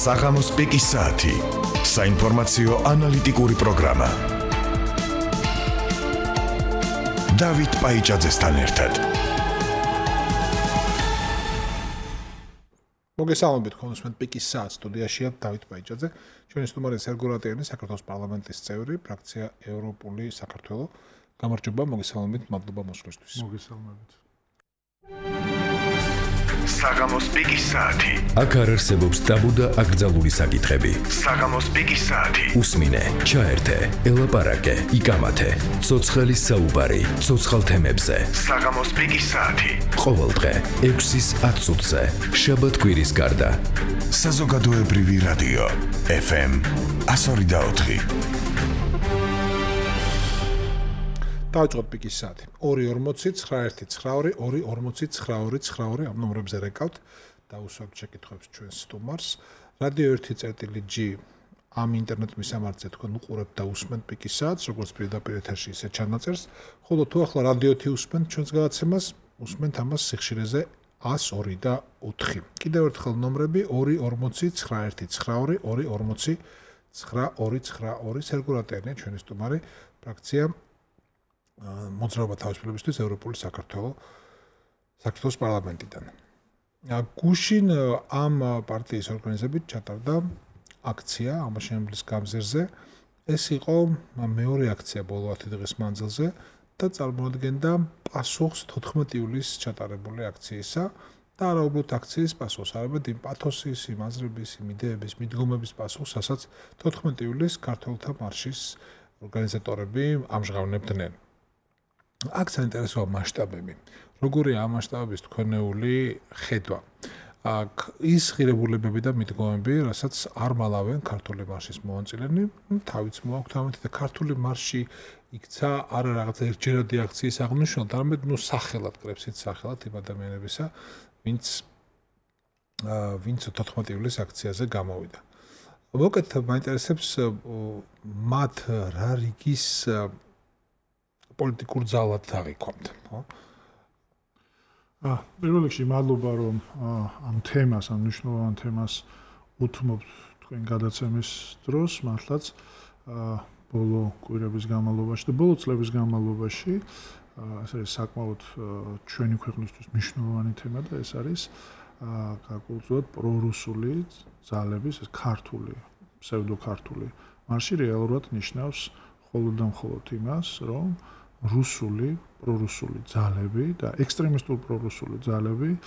საღამოს პიკის საათი. საინფორმაციო ანალიტიკური პროგრამა. დავით პაიჭაძესთან ერთად. მოგესალმებით, კონსუმენტ პიკის საათ სტუდიაშია დავით პაიჭაძე. ჩვენი სტუმარი სერგო რატიანი, საქართველოს პარლამენტის წევრი, ფრაქცია ევროპული საქართველო. გამარჯობა, მოგესალმებით, მადლობა მოსვლისთვის. მოგესალმებით. საღამოს პიკის საათი. აქ არ არსებობს ტაბუ და აკრძალული საკითხები. საღამოს პიკის საათი. უსმინე, ჩაერთე, ელაპარაკე, იკამათე. ცოცხლის საუბარი, ცოცხალ თემებზე. საღამოს პიკის საათი. ყოველდღე 6-ის 10 წუთზე. შაბათ-კვირის გარდა. საზოგადოებრივი რადიო FM 102.4. დავიწყოთ პიკის საათი. 240-9192-240-9292 ამ ნომრებზე რეკავთ. დაუსვამთ შეკითხვებს ჩვენს სტუმარს. რადიო 1.G ამ ინტერნეტ მისამართზე თქვენ უყურებთ და უსმენთ პიკის საათს, როგორც პირდაპირ ეთერში, ისე ჩანაწერს. ხოლო თუ ახლა რადიოთი უსმენთ ჩვენს გადაცემას, უსმენთ ამას სიხშირეზე 102 და 4. კიდევ ერთხელ ნომრები 240-9192-240-9292. სერგო რატიანია ჩვენი სტუმარი, ფრაქცია მოძრაობა თავისუფლებისთვის ევროპული საქართველოს პარლამენტიდან. გუშინ ამ პარტიის ორგანიზებით ჩატარდა აქცია ამაშენებლის გამზირზე. ეს იყო მეორე აქცია ბოლო 10 დღის მანძილზე და წარმოადგენდა პასუხს 14 ივლისს ჩატარებული აქციისა და არა უბრალოდ აქციის პასუხს, არამედ იმ პათოსის, იმ აზრების, იმ იდეების, მიდგომების პასუხს, რასაც 14 ივლისს ქართველთა მარშის ორგანიზატორები ამჟღავნებდნენ. აქ საინტერესოა მასშტაბები. როგორია ამ მასშტაბების თქვენეული ხედვა? აქ ის ღირებულებები და მიდგომები, რასაც არ მალავენ ქართული მარშის მომანწილენი, თავიც მოაქვთ ამით და ქართული მარში იქცა არა რაღაცა ერთჯერადი აქციის აღნიშვნად, არამედ სახელად კრებს ის სახელად იმ ადამიანებისა, ვინც 14 ივლისს აქციაზე გამოვიდა. მოკეთ მაინტერესებს მათ რა რიგის პოლიტიკურ ძალად აღიქვამთ, ხო? პირველ რიგში მადლობა რომ ამ თემას, ამ მნიშვნელოვან თემას უთმობთ თქვენ გადაცემის დროს, მართლაც ბოლო კვირების განმავლობაში და ბოლო წლების განმავლობაში ეს არის საკმაოდ ჩვენი ქვეყნისთვის მნიშვნელოვანი თემა და ეს არის გარკვეულწილად პრორუსული ძალების, ეს ქართული, ფსევდოქართული მარში რეალურად ნიშნავს მხოლოდ და მხოლოდ იმას, რომ პრორუსული ძალები და ექსტრემისტულ პრორუსული ძალები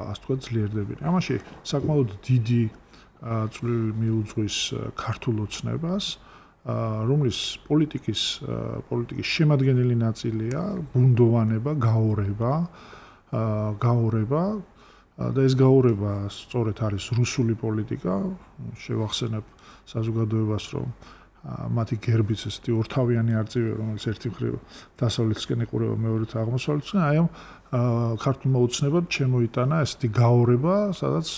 ასე თქვა ძლიერდებიან. ამაში საკმაოდ დიდი წვლილი მიუძღვის ქართულ ოცნებას, რომლის პოლიტიკის შემადგენელი ნაწილია ბუნდოვანება, გაორება და ეს გაორება სწორედ არის რუსული პოლიტიკა. შევახსენებ საზოგადოებას, რომ მათი გერბიც ესეთი ორთავიანი არწივია, რომელიც ერთი მხრივ დასავლეთისკენ ეყურება, მეორედ აღმოსავლეთისკენ. აი ამ ქართულმა ოცნებამ შემოიტანა ესეთი გაორება, სადაც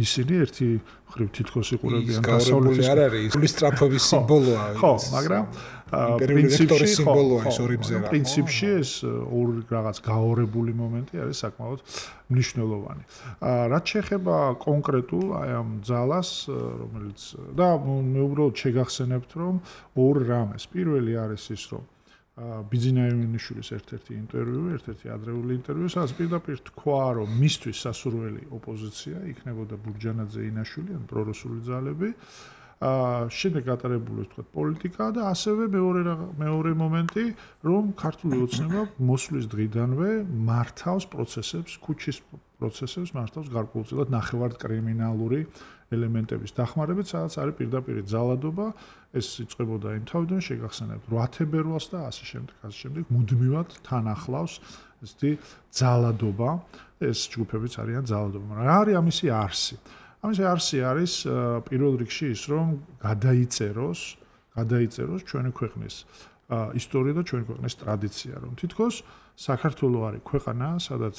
ისინი ერთი მხრივ თითქოს იყურებიან დასავლეთის არ არის ის სტრაფების სიმბოლოა. ხო, მაგრამ პრინციპში ეს ორი რაღაც გაორებული მომენტი არის საკმაოდ მნიშვნელოვანი. რაც შეეხება კონკრეტულ აი ამ ძალას, რომელიც და მე უბრალოდ შეგახსენებთ, რომ ორ რამეს. პირველი არის ის, რომ ბიძინა ივანიშვილის ერთ-ერთი ადრეული ინტერვიუ, სადაც პირდაპირ თქვა, რომ მისთვის სასურველი ოპოზიცია იქნებოდა ბურჯანაძე, ინაშვილი, ან პრორუსული ძალები. შემდეგ გატარებული თქვა პოლიტიკა და ასევე მეორე მომენტი, რომ ქართული ოცნება მოსვლის დღიდანვე მართავს პროცესებს, ქუჩის პროცესებს მართავს გარკვეულწილად ნახევარ კრიმინალური ელემენტების დახმარებით, სადაც არის პირდაპირ ძალადობა. ეს იწყებოდა იმ თავიდან შეგახსენებთ 8 თებერვალს და ასე შემდეგ მუდმივად თან ახლავს ესეთი ძალადობა. ეს ჯგუფებიც არიან ძალადობა. რა არის ამისი არსი? ამისი არსი არის პირველ რიგში ის, რომ გადაიწეროს ჩვენი ქვეყნის ისტორია და ჩვენი ქვეყნის ტრადიცია, რომ თითქოს საქართველოს არის ქვეყანა, სადაც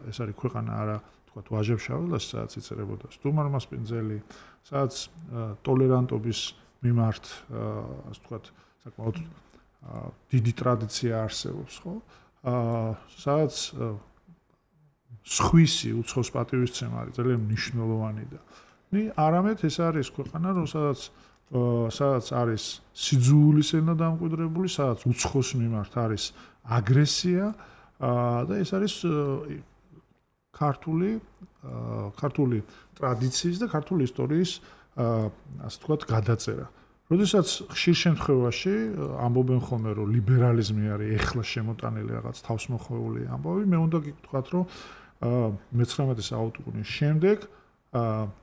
ეს არის ქვეყანა არა თქვა ვაჟებშაველას, სადაც იწერებოდა სტუმარმასპინძელი, სადაც ტოლერანტობის მიმართ ასე ვთქვათ, საკმაოდ დიდი ტრადიცია არსებობს, ხო? სადაც სხვისი უცხოს პატივისცემა არის ძალიან მნიშვნელოვანი და არამედ ეს არის ქვეყანა, სადაც არის სიძულვის ენა დამკვიდრებული, სადაც უცხოს მიმართ არის აგრესია და ეს არის ქართული ტრადიციის და ქართული ისტორიის ასე ვთქვათ გადაწერა. როდესაც ხშირ შემთხვევაში ამბობენ ხოლმე რომ ლიბერალიზმი არის ეხლა შემოტანილი რაღაც თავსმოხვეული ამბავი, მე უნდა გითხრათ რომ მე-19 საუკუნის შემდეგ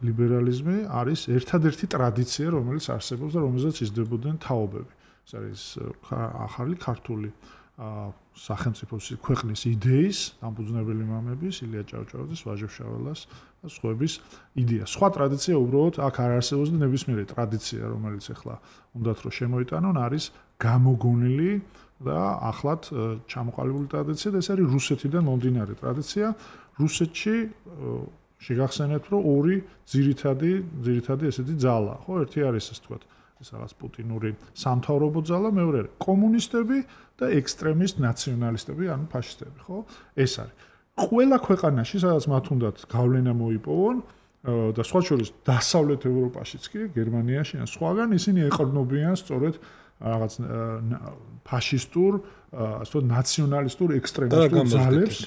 ლიბერალიზმი არის ერთადერთი ტრადიცია, რომელიც არსებობს და რომელზეც იზრდებოდნენ თაობები. ეს არის ახალი ქართული სახელმწიფოს ქვეყნის იდეის, დამფუძნებელი მამების, ილია ჭავჭავაძის, ვაჟა შაველას და სხვების იდეა. სხვა ტრადიცია უბრალოდ აქ არ არსებობს და ნებისმიერი ტრადიცია, რომელიც ახლა უნდათ რომ შემოიტანონ, არის გამოგონილი და ახლად ჩამოყალიბებული ტრადიცია და ეს არის რუსეთიდან მომდინარე ტრადიცია. რუსეთში შეგახსენებთ, რომ ორი ძირითადი ესეთი ძალა, ხო, ერთი არის ასე ვთქვათ, ეს რაღაც პუტინური სამთავრობო ძალა, მეორე კომუნისტები და ექსტრემისტ ნაციონალისტები, ანუ ფაშისტები, ხო? ეს არის. ყველა ქვეყანაში, სადაც მათ უნდათ გავლენა მოიპოვონ და სხვა შორის დასავლეთ ევროპაშიც კი, გერმანიაში ან სხვაგან ისინი ეყრდნობიან სწორედ რაღაც ფაშისტურ, ასე ვთქვათ, ნაციონალისტურ ექსტრემისტულ ძალებს.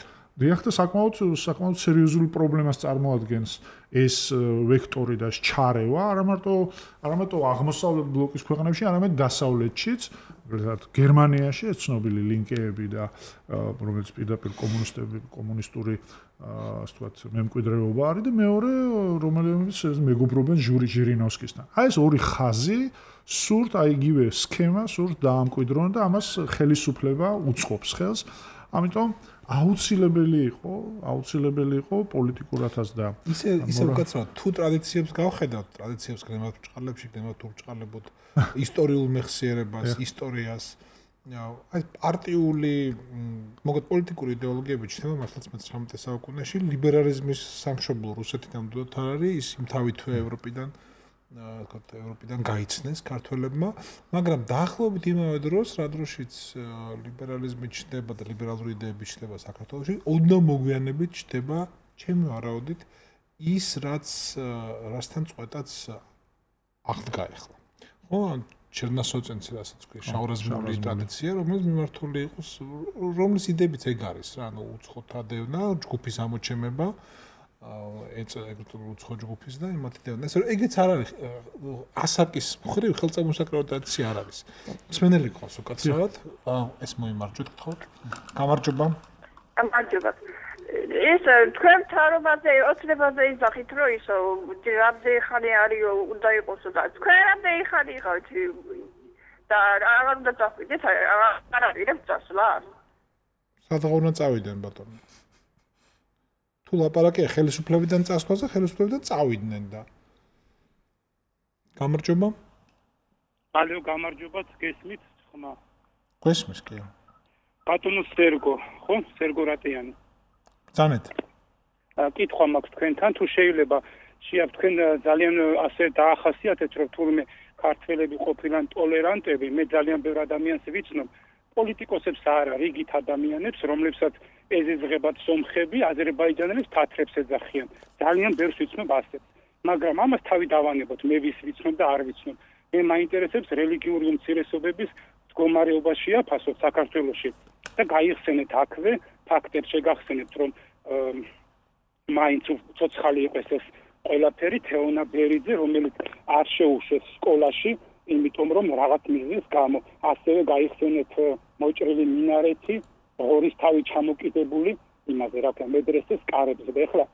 დიახ და საკმაოდ სერიოზული პრობლემას წარმოადგენს ეს ვექტორი და ჩარევა არა მარტო აღმოსავლეთ ბლოკის ქვეყნებში, არამედ დასავლეთშიც, მაგალითად გერმანიაში ეს ცნობილი ლინკეები და რომელიც პირდაპირ კომუნისტური ასე ვთქვათ მემკვიდრეობა არის და მეორე რომელიც მეგობრობენ ჟირინოვსკისთან. აი ეს ორი ხაზი სურთ აი იგივე სქემა სურთ დაამკვიდრონ და ამას ხელისუფლება უწყობს ხელს. ამიტომ აუცილებელი იყო პოლიტიკურათაც და ისე უკაცრავად თუ ტრადიციებს გავხედავთ, ტრადიციებს გნებავთ ბრჭყალებში, გნებავთ ურჭყალებოდ ისტორიულ მეხსიერებას, ისტორიას, აი პარტიული, მოგეთ პოლიტიკური იდეოლოგიები ჩნდება მართლაც მე-19 საუკუნეში, ლიბერალიზმის სამშობლო რუსეთიდან მუდმივად არ არის, ის იმთავით თუ ევროპიდან გაიცნეს ქართველებმა, მაგრამ დაახლოებით იმავე დროს, რა დროშიც ლიბერალიზმი ჩნდება და ლიბერალური იდეები ჩნდება საქართველოში, ოდნავ მოგვიანებით ჩნდება ჩემი ვარაუდით ის რასთან წვეტაც აღდგა ახლა. ხო, ჩერნასოწენცი რასაც ქვია, შაურაზმული ტრადიცია, რომელიც მიმართული იყოს, რომლის იდეებიც ეგ არის რა, ანუ უცხოთა დევნა, ჯგუფის ამოჩემება ეგრეთ უცხო ჯგუფის და იმათი დევნა. ეს ეგეც არ არის ასაკის მხრივ ხელწამოსაკრავი ტრადიცია არ არის. მსმენელი ყავს უკაცრავად, ეს მოიმარჯვეთ გთხოვთ. გამარჯობა. გამარჯობა. ეს თქვენ თავრობაზე ოცნებაზე იზახით რომ ისო რამდენი ხანი არის უნდა იყოსო და თქვენ რამდენი ხანი იყავით და აღარ უნდა წავიდეთ არ არის წასვლა სადღა უნდა წავიდნენ ბატონო თუ ლაპარაკია ხელისუფლებიდან წასვლაზე ხელისუფლებიდან წავიდნენ და გამარჯობა ალო გამარჯობათ გესმით ხმა გესმის კი ბატონო სერგო რატიანი ზანეთ კითხვა მაქვს თქვენთან თუ შეიძლება თქვენ ძალიან ასე დაახასიათეთ რომ თურმე ქართველები ყოფილან ტოლერანტები მე ძალიან ბევრ ადამიანს ვიცნობ პოლიტიკოსებს არა რიგით ადამიანებს რომლებსაც ეზიზღებათ სომხები აზერბაიჯანელებს თათრებს ეძახიან ძალიან ბევრს ვიცნობ ასეთ მაგრამ ამას თავი დავანებოთ მე ვის ვიცნობ და არ ვიცნობ მე მაინტერესებს რელიგიური უმცირესობების მდგომარეობაშია ფასო საქართველოში და გაიხსენეთ აქვე ფაქტებს შეგახსენებთ რომ მაინც ცოცხალი იყოს ეს ყველაფერი თეონა ბერიძე რომელიც არ შეუშვეს სკოლაში იმიტომ რომ რაღაც მიზნის გამო ასევე გაიხსენეთ მოჭრილი მინარეთი ღორის თავი ჩამოკიდებული იმაზე რა ქვია მედრესეს კარებზე და ეხლა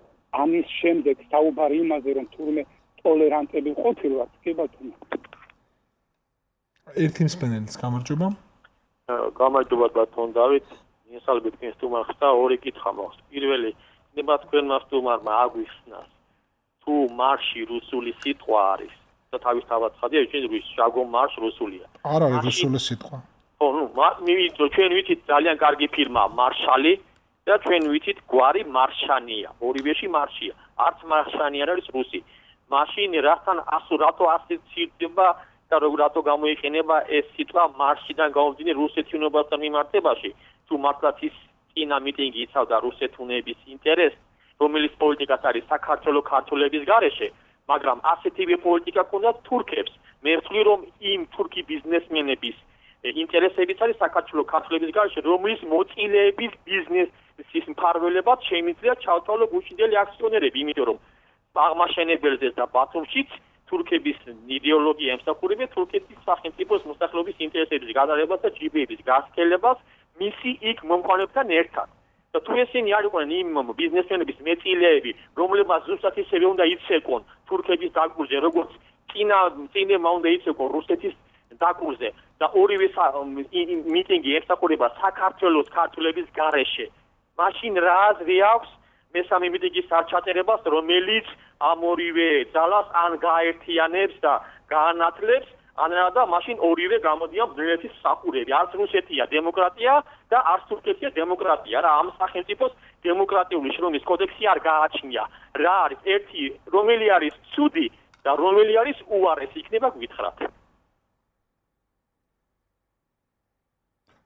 ამის შემდეგ საუბარი იმაზე რომ თურმე ტოლერანტები ყოფილვართ კი ბატონო ერთი მსმენელის გამარჯობა გამარჯობა ბატონ დავით ინსალბეთ კენსტუმარ ხსა ორი კითხვა მაქვს პირველი ნება თქვენმა სტუმარმა აგვიხსნას თუ მარში რუსული სიტყვა არის და თავისთავად ხადია ჩვენ შაგო მარშ რუსულია არ არის რუსული სიტყვა ხო ნუ ჩვენ ვიცით ძალიან კარგი ფირმა მარშალი და ჩვენ ვიცით გვარი მარშანია ორივეში მარშია არც მარშანი არ არის რუსი მაშინ რასთან რატო ასოცირდება და რატო გამოიყენება ეს სიტყვა მარშიდან გამომდინარე რუსეთუნებასთან მიმართებაში თუ მართლაც ის წინა მიტინგი იცავდა რუსეთუნების ინტერესს, რომელიც პოლიტიკას არის საქართველოს ქართველების გარეშე, მაგრამ ასეთივე პოლიტიკა ქონდათ თურქებს. მე ვთვლი რომ იმ თურქი ბიზნესმენების ინტერესებიც არის საქართველოს ქართველების გარშე, რომლის მოწილეების ბიზნესის მფარველებად შეიმიძლია ჩავთვალო გუშინდელი აქციონერები, იმიტომ რომ აღმაშენებელზეც და ბათუმშიც თურქების იდეოლოგია ემსახურებია თურქეთის სახელმწიფოს მოსახლეობის ინტერესების გადაღებას და ჯიბეების გასქელებას მისი იქ მომხმარებთან ერთად. და თუ ესენი არ იყვნენ იმ ბიზნესმენების მეწილეები, რომლებმაც ზუსტად ისევე უნდა იცეკონ თურქების დაკურზე, როგორც წინემა უნდა იცეკონ რუსეთის დაკურზე და ორივე მიტინგი ემსახურება საქართველოს ქართველების გარეშე. მაშინ რა აზრი აქვს მესამე მიტინგის არჩატერებას, რომელიც ამ ორივე ძალას ან გაერთიანებს და გაანათლებს, ან და მაშინ ორივე გამოდიან ბრძოლების სახურები. არც რუსეთია დემოკრატია და არც თურქეთია დემოკრატია. რა ამ სახელმწიფოს დემოკრატიული შრომის კოდექსი არ გააჩნია. რა არის ერთი, რომელი არის ცუდი და რომელი არის უარესი, იქნება გვითხრათ.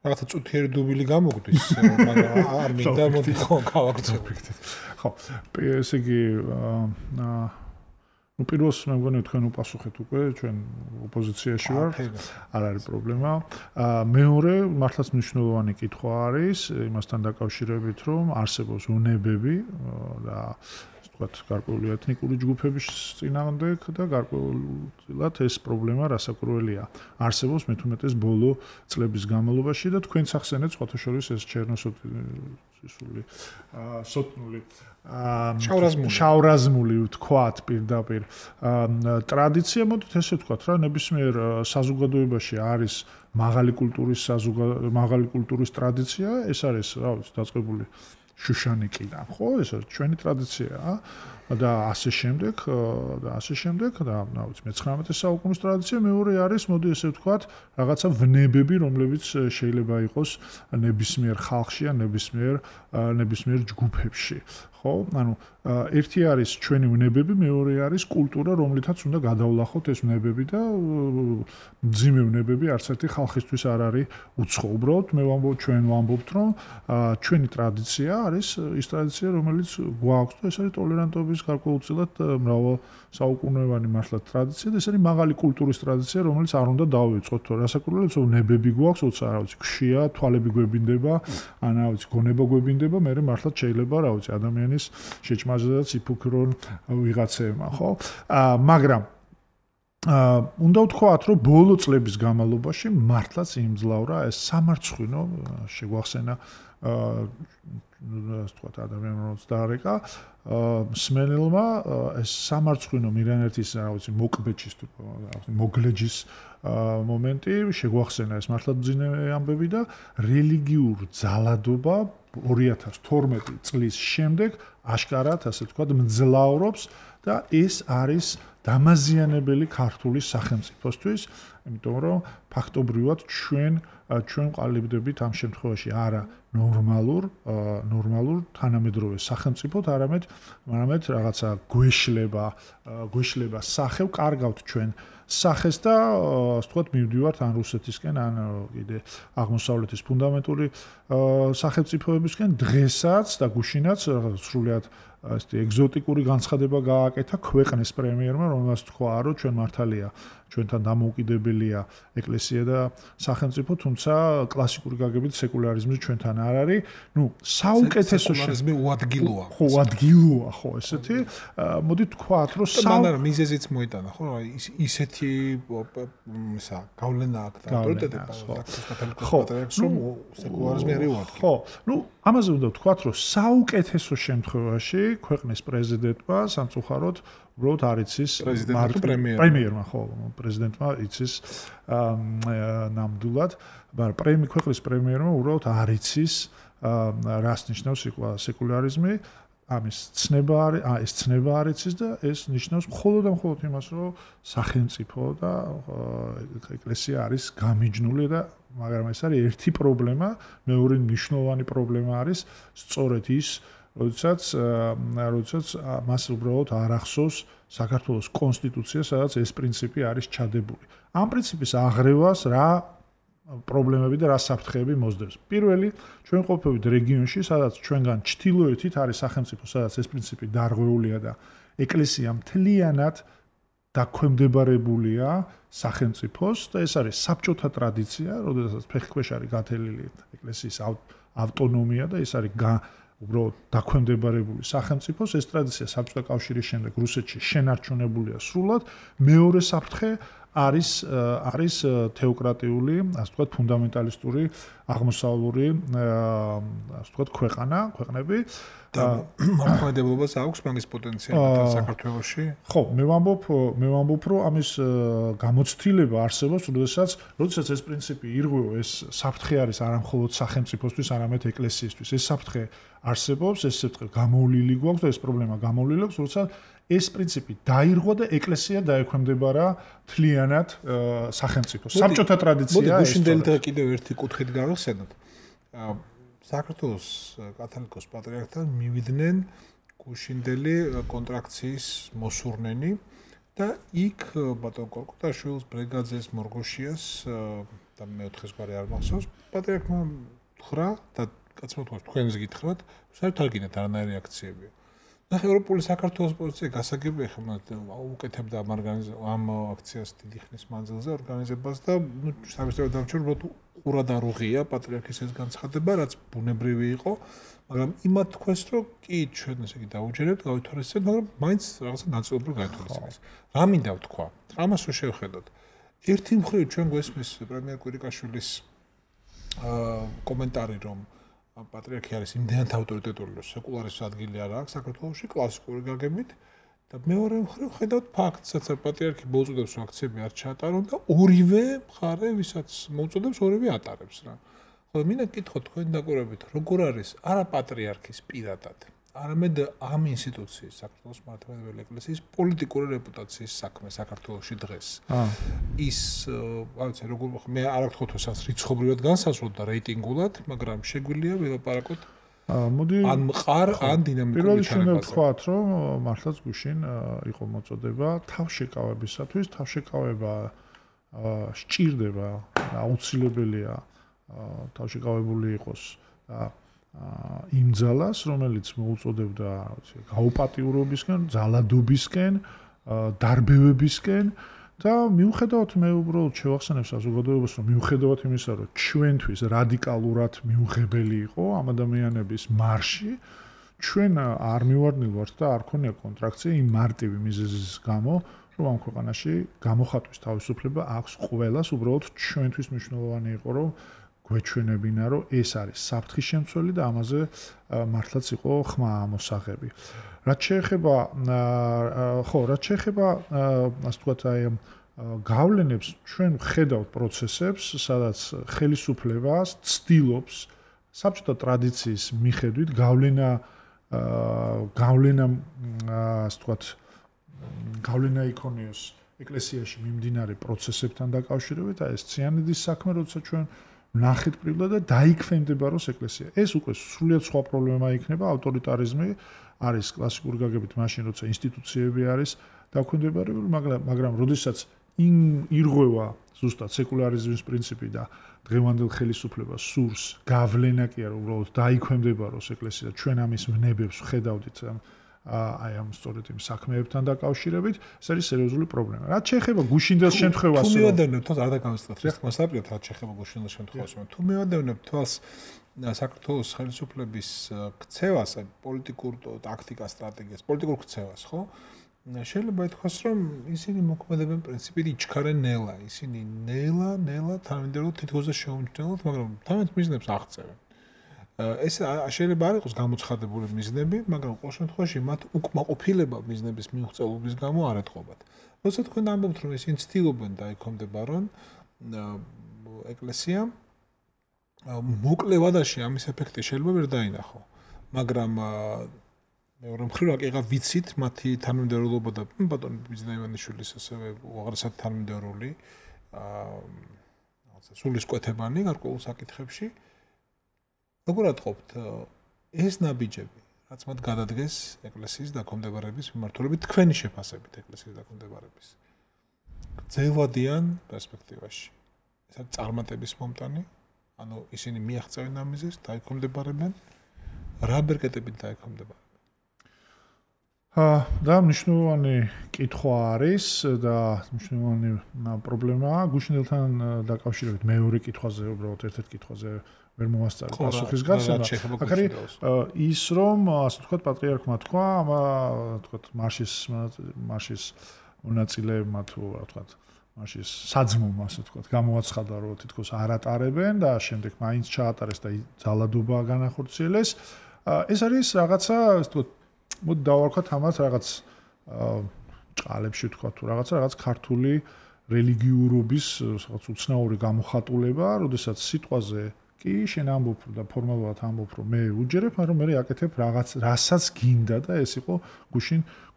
რაღაცა წუთიერი დუბილი გამოგვდის, მაგრამ არ მინდა მოდი ხო გავაგრძელებთ. ხო, ესე იგი ну პირველს მე მგონი თქვენ უპასუხეთ უკვე ჩვენ ოპოზიციაში ვარ არ არის პრობლემა მეორე მართლაც მნიშვნელოვანი კითხვა არის იმასთან დაკავშირებით რომ არსებობს უნებები და ვთქვათ გარკვეული ეთნიკური ჯგუფების წინააღმდეგ და გარკვეულად ეს პრობლემა რასაკურველია არსებობს მე-15 ბოლო წლების განმავლობაში და თქვენ სახსენეთ სხვათა შორის ეს ჩერნოსოთი სოტნული შავრაზმული ვთქვათ პირდაპირ ტრადიცია მოდით ესე ვთქვათ რა ნებისმიერ საზოგადოებაში არის მაღალი კულტურის ტრადიცია ეს არის რა ვიცი დაწყებული შუშანიკიდან ხო ეს არის ჩვენი ტრადიციაა და ასე შემდეგ და რა ვიცი მე-19 საუკუნის ტრადიცია მეორე არის მოდი ესე ვთქვათ რაღაცა ვნებები რომლებიც შეიძლება იყოს ნებისმიერ ხალხში ან ნებისმიერ ჯგუფებში ხო ანუ ერთი არის ჩვენი ვნებები მეორე არის კულტურა რომლითაც უნდა გადავლახოთ ეს ვნებები და მძიმე ვნებები არც ერთი ხალხისთვის არ არის უცხო უბრალოდ მე ვამბობ ჩვენ ვამბობთ რომ ჩვენი ტრადიცია არის ის ტრადიცია რომელიც გვაქვს და ეს არის ტოლერანტობის გარკვეულწილად მრავალ საუკუნოვანი მართლა ტრადიცია და ეს არის მაღალი კულტურის ტრადიცია რომელიც არ უნდა დავიწყოთ თორე რასაკურველია რომ ნებები გვაქვს უცა რა ვიცი ქშია თვალები გვებინდება ან რა ვიცი გონება გვებინდება მე მართლა შეიძლება რა ვიცი ადამიანის შეჭმაზედაც იფიქრონ ვიღაცეებმა ხო მაგრამ უნდა ვთქვათ რომ ბოლო წლების განმავლობაში მართლაც იმძლავრა ეს სამარცხვინო შეგვახსენა ასე ვთქვათ ადამიანს დაარეკა მსმენელმა ეს სამარცხვინო მირანეთის რა ვიცი მოკბეჭის თუ მოგლეჯის მომენტი შეგვახსენა ეს მართლა ძინე ამბები და რელიგიურ ძალადობა 2012 წლის შემდეგ აშკარად ასე ვთქვათ მძლავრობს და ეს არის დამაზიანებელი ქართული სახელმწიფოსთვის იმიტომ რომ ფაქტობრივად ჩვენ ყალიბდებით ამ შემთხვევაში არა ნორმალურ თანამედროვე სახელმწიფოთ არამედ რაღაცა გვეშლება სახევ კარგავთ ჩვენ სახეს და ასე ვთქვათ მივდივართ ან რუსეთისკენ ან კიდე აღმოსავლეთის ფუნდამენტური სახელმწიფოებისკენ დღესაც და გუშინაც სრულიად ასეთი ეგზოტიკური განცხადება გააკეთა ქვეყნის პრემიერმა რომელსაც თქვა რომ ჩვენ მართალია ჩვენთან დამოუკიდებელია ეკლესია და სახელმწიფო თუმცა კლასიკური გაგებით სეკულარიზმი ჩვენთან არ არის ნუ საუკეთესო სეკულარიზმი უადგილოა ხო ესეთი მოდი თქვათ რომ მაგრამ მიზეზიც მოიტანა ხო ისეთი გავლენა აქვს და ავტორიტეტები რომ სეკულარიზმი არის უადგილო ხო ნუ ამაზე უნდა ვთქვათ რომ საუკეთესო შემთხვევაში ქვეყნის პრეზიდენტმა სამწუხაროდ უბრალოდ არ იცის პრემიერმა ხო პრეზიდენტმა იცის ნამდვილად მაგრამ ქვეყნის პრემიერმა უბრალოდ არ იცის რას ნიშნავს სეკულარიზმი ამის ცნება არის ეს ცნება არ იცის და ეს ნიშნავს მხოლოდ და მხოლოდ იმას რომ სახელმწიფო და ეკლესია არის გამიჯნული და მაგრამ ეს არის ერთი პრობლემა მეორე მნიშვნელოვანი პრობლემა არის სწორედ ის როდესაც მას უბრალოდ არ ახსოვს საქართველოს კონსტიტუცია, სადაც ეს პრინციპი არის ჩადებული. ამ პრინციპის აღრევას რა პრობლემები და რა საფრთხეები მოსდევს. პირველი, ჩვენ ყოფილვით რეგიონში, სადაც ჩვენგან ჩრდილოეთით არის სახელმწიფო, სადაც ეს პრინციპი დარღვეულია და ეკლესია მთლიანად დაქვემდებარებულია სახელმწიფოს და ეს არის საბჭოთა ტრადიცია, როდესაც ფეხქვეშ არის გათელილი ეკლესიის ავტონომია და ეს არის უბრალოდ დაქვემდებარებული სახელმწიფოს. ეს ტრადიცია საბჭოთა კავშირის შემდეგ რუსეთში შენარჩუნებულია სრულად. მეორე საფრთხე არის თეოკრატიული, ასე ვთქვათ, ფუნდამენტალისტური აღმოსავლური, ასე ვთქვათ, ქვეყნები და მოქმედებობას აქვს მაგის პოტენციალი საქართველოში. ხო, მე ვამბობ, რომ ამის გამოცდილება არსებობს, როდესაც ეს პრინციპი ირღვევა, ეს საფრთხე არის არა მხოლოდ სახელმწიფოსთვის, არამედ ეკლესიისთვის. ეს საფრთხე არსებობს, ეს საფრთხე გამოვლილი გვაქვს და ეს პრობლემა გამოვლილი აქვს, როცა ეს პრინციპი დაირღვა და ეკლესია დაექვემდებარა მთლიანად სახელმწიფოს. საბჭოთა ტრადიცია ეს. გუშინდელი და კიდევ ერთი კუთხით გავიხსენოთ. საქართველოს კათოლიკოს პატრიარქთან მივიდნენ გუშინდელი კონტრაქციის მოსურნენი და იქ ბატონ კორკუტაშვილს, ბრეგაძეს, მორგოშიას და მეოთხეს გვარი არ მახსოვს, პატრიარქმა ხრა და კაცმა თქვა თქვენს გითხრათ, საერთოდ არ გინდათ არანაირი აქციებია. ნახე ევროპული საქართველოს პოზიცია გასაგებია ხომ უკეთებდა ამ აქციას დიდი ხნის მანძილზე ორგანიზებას და სამეცნიერო დამჭირებლად ყურად არ უღია პატრიარქის ეს განცხადება, რაც ბუნებრივი იყო, მაგრამ იმათ თქვეს, რომ კი ჩვენ ესე იგი დაუჯერებთ, გავითვალისწინებთ, მაგრამ მაინც რაღაცა ნაწილობრივ გავითვალისწინებთ. რა მინდა ვთქვა? ამას რო შევხედოთ. ერთი მხრივ ჩვენ გვესმის პრემიერ კვირიკაშვილის კომენტარი, რომ პატრიარქი არის იმდენად ავტორიტეტული, რომ სეკულარის ადგილი არ აქვს საქართველოში კლასიკური გაგებით და მეორე მხრივ ხედავთ ფაქტს, სადაც პატრიარქი მოუწოდებს, რომ აქციები არ ჩაატარონ და ორივე მხარე, ვისაც მოუწოდებს, ორივე ატარებს რა. ხოლო მინდა გითხოთ თქვენ დაკვირვებით, როგორ არის არა პატრიარქის პირადად, არამედ ამ ინსტიტუციის, საქართველოს მართლმადიდებელი ეკლესიის პოლიტიკური რეპუტაციის საქმე საქართველოში დღეს. ის, რაღაცა როგორ მე არ ვთქვათ, რომ რიცხობრივად განსაზღვროთ და რეიტინგულად, მაგრამ შეგვიძლია ველაპარაკოთ ან მყარ, ან დინამიკურ ჩარეკაზე. პირველი ვთქვათ, რომ მართლაც გუშინ იყო მოწოდება თავშეკავებისათვის, თავშეკავება სჭირდება, აუცილებელია თავშეკავებული იყოს და იმ ძალას, რომელიც მოუწოდებდა, გაუპატიურობისკენ, ძალადობისკენ, დარბევებისკენ და მიუხედავად მე უბრალოდ შევახსენებ საზოგადოებას, რომ მიუხედავად იმისა, რომ ჩვენთვის რადიკალურად მიუღებელი იყო ამ ადამიანების მარში, ჩვენ არ მივარდნილვართ და არ ქონია კონტრაქცია იმ მარტივი მიზეზის გამო, რომ ამ ქვეყანაში გამოხატვის თავისუფლება აქვს ყველას, უბრალოდ ჩვენთვის მნიშვნელოვანი იყო, რომ გვეჩვენებინა, რომ ეს არის საფრთხის შემცველი და ამაზე მართლაც იყო ხმა ამოსაღები. რაც შეეხება ასე ვთქვათ, აი გავლენებს, ჩვენ ხედავთ პროცესებს, სადაც ხელისუფლებას ცდილობს საბჭოთა ტრადიციის მიხედვით ასე ვთქვათ, გავლენა იქონიოს ეკლესიაში მიმდინარე პროცესებთან დაკავშირებით, აი ეს ციანიდის საქმე, როცა ჩვენ ნახეთ პრიბლად და დაიქვემდებაროს ეკლესია. ეს უკვე სრულიად სხვა პრობლემა იქნება, ავტორიტარიზმი არის კლასიკური გაგებით მაშინ, როცა ინსტიტუციები არის დაქვემდებარებული, მაგრამ როდესაც ირღვევა ზუსტად სეკულარიზმის პრინციპი და დღევანდელ ხელისუფლებას სურს გავლენა კი არა, უბრალოდ დაიქვემდებაროს ეკლესია. ჩვენ ამის ვნებებს ვხედავდით აი ამ სწორედ იმ საქმეებთან დაკავშირებით, ეს არის სერიოზული პრობლემა. რაც შეეხება გუშინდელ შემთხვევას, თუ მივადევნებთ თვალს, არ დაგამისწრეთ, ხმას დაპირეთ, რაც შეეხება გუშინდელ შემთხვევას, თუ მივადევნებთ თვალს საქართველოს ხელისუფლების ქცევას, პოლიტიკურ ტაქტიკას, სტრატეგიას, პოლიტიკურ ქცევას, ხო? შეიძლება ითქვას, რომ ისინი მოქმედებენ პრინციპით იჩქარენ ნელა, ისინი ნელა თანამედროვე თითქოს შეუმჩნევლად, მაგრამ თავიანთ მიზნებს აღწევენ. ეს შეიძლება არ იყოს გამოცხადებული მიზნები, მაგრამ ყოველ შემთხვევაში მათ უკმაყოფილება მიზნების მიუღწევობის გამო არ ეთყობათ. როცა თქვენ ამბობთ, რომ ისინი ცდილობენ დაიქვემდებარონ ეკლესია, მოკლევადაში ამის ეფექტი შეიძლება ვერ დაინახო, მაგრამ მეორე მხრივ აკიღა ვიცით მათი თანამდებობობა და ბატონ ბიძინა ივანიშვილის ასევე უაღრესად თანამდებობული რაღაცა სულისკვეთებანი გარკვეულ საკითხებში. როგორ ატყობთ ეს ნაბიჯები, რაც მათ გადადგეს ეკლესიის დაქვემდებარების მიმართულებით, თქვენი შეფასებით ეკლესიის დაქვემდებარების გრძელვადიან პერსპექტივაში. ეს არის წარმატების მომტანი, ანუ ისინი მიაღწევენ ამიზეს, დაიქვემდებარებენ, რა ბერკეტებით დაიქვემდებარებენ. და მნიშვნელოვანი კითხვა არის და მნიშვნელოვანი პრობლემაა გუშინელთან დაკავშირებით მეორე კითხვაზე უბრალოდ ერთ-ერთ კითხვაზე ვერ მოვასწარი პასუხის გაცემა. აქ არის ის რომ ასე ვთქვათ პატრიარქმა თქვა ვთქვათ მარშის მონაწილეებმა თუ რა ვთქვათ მარშის საძმომ ასე ვთქვათ გამოაცხადა რომ თითქოს არ ატარებენ და შემდეგ მაინც ჩაატარეს და ძალადობა განახორციელეს. ეს არის რაღაცა ასე ვთქვათ მოდი დავარქვათ ამას რაღაც ჭყალებში ვთქვათ თუ რაღაც ქართული რელიგიურობის რაღაც უცნაური გამოხატულება, როდესაც სიტყვაზე კი შენ ამბობ და ფორმალურად ამბობ რომ მე უჯერებ, მაგრამ მე აკეთებ რაღაც რასაც გინდა და ეს იყო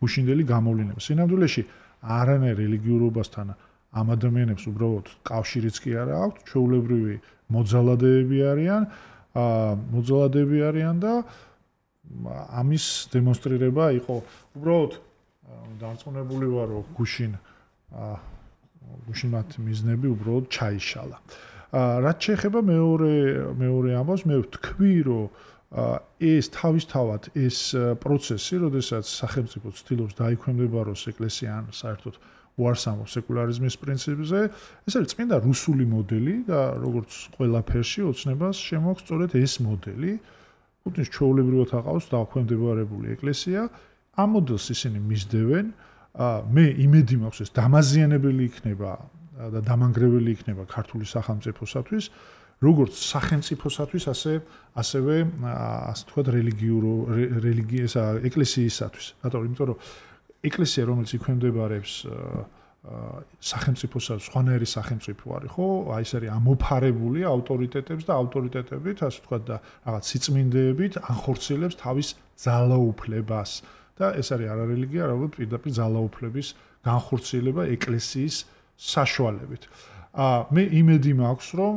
გუშინდელი გამოვლენა. სინამდვილეში არანაირ რელიგიურობასთან ამ ადამიანებს უბრალოდ კავშირიც კი არა აქვთ, ჩვეულებრივი მოძალადეები არიან და ამის დემონსტრირება იყო უბრალოდ დარწმუნებული ვარ რომ გუშინმათ მიზნები უბრალოდ ჩაიშალა. რაც შეეხება მეორე ამბავს, მე ვთქვი რომ ეს თავისთავად ეს პროცესი, როდესაც სახელმწიფო ცდილობს დაიქვემდებაროს ეკლესია ან საერთოდ უარს ამბობს სეკულარიზმის პრინციპზე, ეს არის წმინდა რუსული მოდელი და როგორც ყველაფერში ოცნებას შემოაქვს სწორედ ეს მოდელი. პუტინს ჩვეულებრივად აყავს დაქვემდებარებული ეკლესია, ამ მოდელს ისინი მისდევენ, მე იმედი მაქვს ეს დამაზიანებელი იქნება და დამანგრეველი იქნება ქართული სახელმწიფოსათვის, როგორც სახელმწიფოსათვის, ასევე ასე ვთქვათ ეკლესიისათვის. რატომ? იმიტომ რომ ეკლესია რომელიც იქვემდებარებს სახელმწიფოსაც სხვანაირი სახელმწიფო არის, ხო? აი ეს არის ამოფარებული ავტორიტეტებს და ავტორიტეტებით, ასე ვთქვათ და რაღაც სიწმინდეებით ანხორციელებს თავის ძალაუფლებას. და ეს არის არარელიგია, რაღაც პირდაპირ ძალაუფლების განხორციელება ეკლესიის საშუალებით. მე იმედი მაქვს, რომ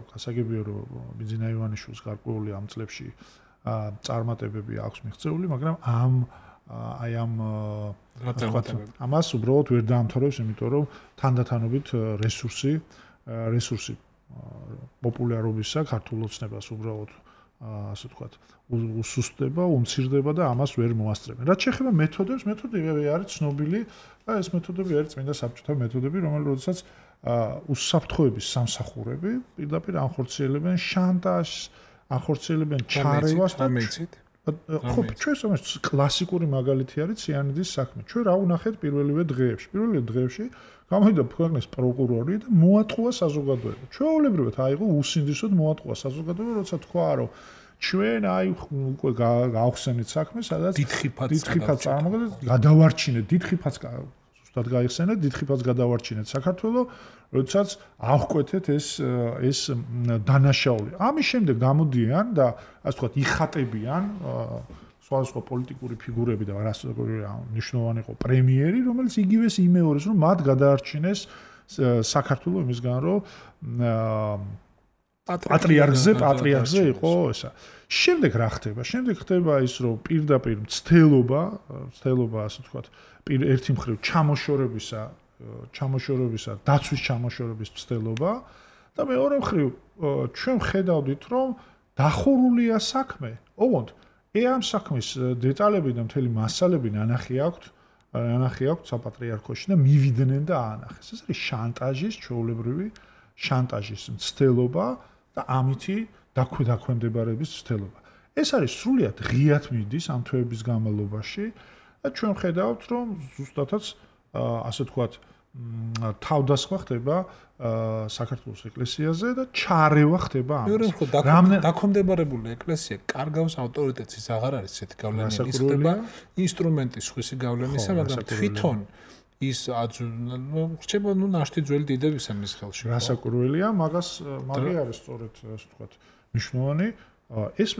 გასაგებია რომ ბიძინა ივანიშვილის გარკვეული ამ წლებში წარმატებები აქვს მიღწეული, მაგრამ ამას უბრალოდ ვერ დაამთავრებს, იმიტომ რომ თანდათანობით რესურსი პოპულარობისა ქართულ ოცნებას უბრალოდ ასე ვთქვათ უსუსტდება, უმცირდება და ამას ვერ მოასწრებენ. რაც შეეხება მეთოდებს, მეთოდები არის ცნობილი და ეს მეთოდები არის წმინდა საბჭოთა მეთოდები, რომელთაც უსაფრთხოების სამსახურები პირდაპირ ანხორციელებენ შანტაჟს, ანხორციელებენ ჩარევას და ხო, ჩვენს კლასიკური მაგალითი არის ციანიძის საქმე. ჩვენ რა ვნახეთ პირველივე დღეებში გამოვიდა ქვეყნის პროკურორი და მოატყუა საზოგადოება. ჩვეულებრივად აიღო უსინდისოდ მოატყუა საზოგადოება, როცა თქვა რომ ჩვენ უკვე გავხსენით საქმე, სადაც დიდხიფაც წარმოგიდგენთ, გადავარჩინეთ დიდხიფაც ზუსტად გაიხსენეთ, დიდხიფაც გადავარჩინეთ საქართველოს, როდესაც აღკვეთეთ ეს დანაშაული. ამის შემდეგ გამოდიან და ასე ვთქვათ იხატებიან სხვადასხვა პოლიტიკური ფიგურები და მნიშვნელოვანი იყო პრემიერი, რომელიც იგივეს იმეორებს, რომ მათ გადაარჩინეს საქართველოს იმისგან, რომ პატრიარქზე იყო ესა. შემდეგ რა ხდება? შემდეგ ხდება ის, რომ პირდაპირ მცდელობა, ასე ვთქვათ, ერთი მხრივ ჩამოშორებისა, დაცვის ჩამოშორების მცდელობა და მეორე მხრივ ჩვენ ხედავდით, რომ დახურულია საქმე. ოღონდ ამ საქმის დეტალები და მთელი მასალები ნანახი აქვთ საპატრიარქოში და მივიდნენ და აანახეს. ეს არის შანტაჟის, ჩვეულებრივი შანტაჟის მცდელობა და ამითი დაქვემდებარების მცდელობა. ეს არის სრულიად ღიად მიდის ამ თვეების განმავლობაში და ჩვენ ხედავთ, რომ ზუსტადაც ასე ვთქვათ თავდასხმა ხდება საქართველოს ეკლესიაზე და ჩარევა ხდება ამას. დაქვემდებარებული ეკლესია კარგავს ავტორიტეტს, ის აღარ არის ესეთი გავლენა, ის ხდება ინსტრუმენტის ხვისი გავლენისა, მაგრამ თვითონ ის რჩება ნაშთი ძველი დიდებისა მის ხელში. რასაკურველია, მაგას არის სწორედ ასე ვთქვათ მნიშვნელოვანი ეს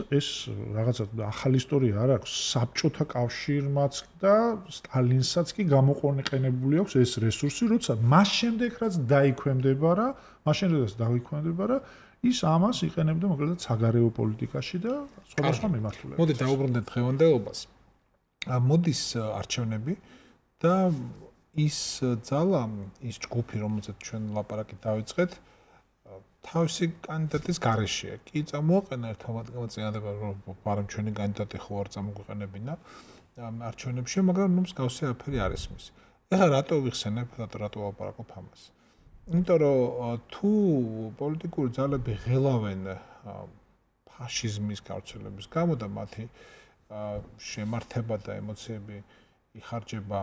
რაღაცა ახალი ისტორია არ აქვს საბჭოთა კავშირმაც და სტალინსაც კი გამოყენებული აქვს ეს რესურსი, როცა მას შემდეგ რაც დაიქვემდებარა, ის ამას იყენებდა მოკლედ საგარეო პოლიტიკაში და სხვადასხვა მიმართულებაში. მოდი დავუბრუნდეთ დღევანდელობას. მოდის არჩევნები და ის ძალა, ის ჯგუფი, რომელზეც ჩვენ ლაპარაკი დავიწყეთ, თავისი კანდიდატის გარეშეა. კი წამოაყენა ერთმანეთს გამოწინააღმდეგება, რომ პარამ ჩვენი კანდიდატი ხო არ წამოგვიყენებინა. არჩევნებში, მაგრამ ნუ მსგავსი არაფერი არ ისმის. ეხლა რატო ვიხსენებ, რატო ვაპარაკობ ამას? იმიტომ რომ თუ პოლიტიკური ძალები ღელავენ ფაშიზმის გავრცელების გამო და მათი შემართება და ემოციები იხარჯება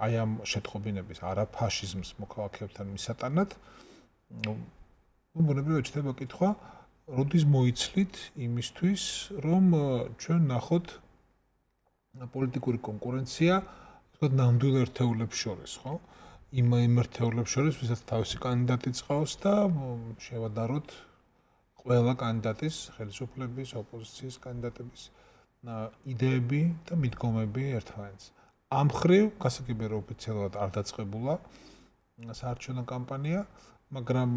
აი ამ შეტყობინების არაფაშიზმს მოქალაქეებთან მისატანად, ბუნებრივად ჩდება კითხვა, როდის მოიცლით იმისთვის, რომ ჩვენ ნახოთ პოლიტიკური კონკურენცია, თქვათ, ნამდვილ ერთეულებს შორის, ხო? იმ ერთეულებს შორის, ვისაც თავისი კანდიდატი წყავს და შევადაროთ ყველა კანდიდატის, ხელისუფლების, ოპოზიციის კანდიდატების იდეები და მიდგომები ერთმანეთს. ამ ხრივ გასაგებია რომ ოფიციალურად არ დაწყებულა საარჩევნო კამპანია, მაგრამ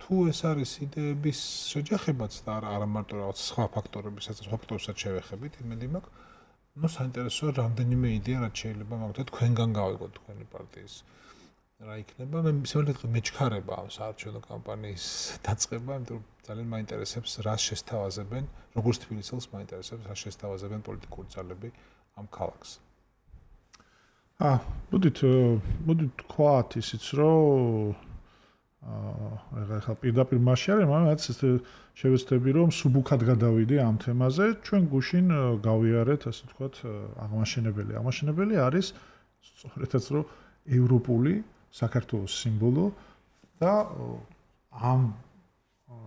თუ ეს არის იდეების შეჯახებაც და არა მარტო რაღაც სხვა ფაქტორებისაც, სხვა ფაქტორებსაც შევეხებით, იმედი მაქვს, ნუ საინტერესოა რამდენიმე იდეა რაც შეიძლება მაგათ თქვენგან გავიგოთ თქვენი პარტიის რა იქნება. მე ისევ მეჩქარება ამ საარჩევნო კამპანიის დაწყება, იმიტომ რომ ძალიან მაინტერესებს რა შესთავაზებენ, როგორც თბილისელს მაინტერესებს რა შესთავაზებენ პოლიტიკური ძალები ამ ქალაქს. მოდით თქვათ ისიც რომ ეხლა პირდაპირ მასში არის, მაგრამ შევეცდები რომ სუბუქად გადავიდე ამ თემაზე. ჩვენ გუშინ გავიარეთ, ასე ვთქვათ, აღმაშენებელი. აღმაშენებელი არის სწორედაც რომ ევროპული საქართველოს სიმბოლო და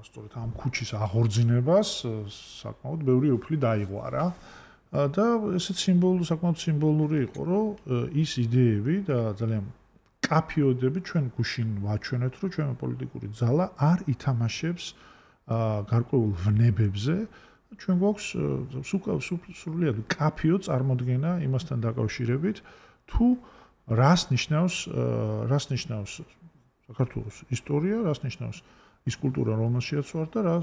სწორედ ამ ქუჩის აღორძინებას საკმაოდ ბევრი უფლი დაიღვარა. და ესეც საკმაოდ სიმბოლური იყო, რომ ის იდეები და ძალიან კაფიოდები ჩვენ გუშინ ვაჩვენეთ, რომ ჩვენი პოლიტიკური ძალა არ ითამაშებს გარკვეულ ვნებებზე. ჩვენ გვაქვს სრულიად კაფიო წარმოდგენა იმასთან დაკავშირებით, თუ რას ნიშნავს საქართველოს ისტორია, რას ნიშნავს ის კულტურა, რომელშიც ვარ და რა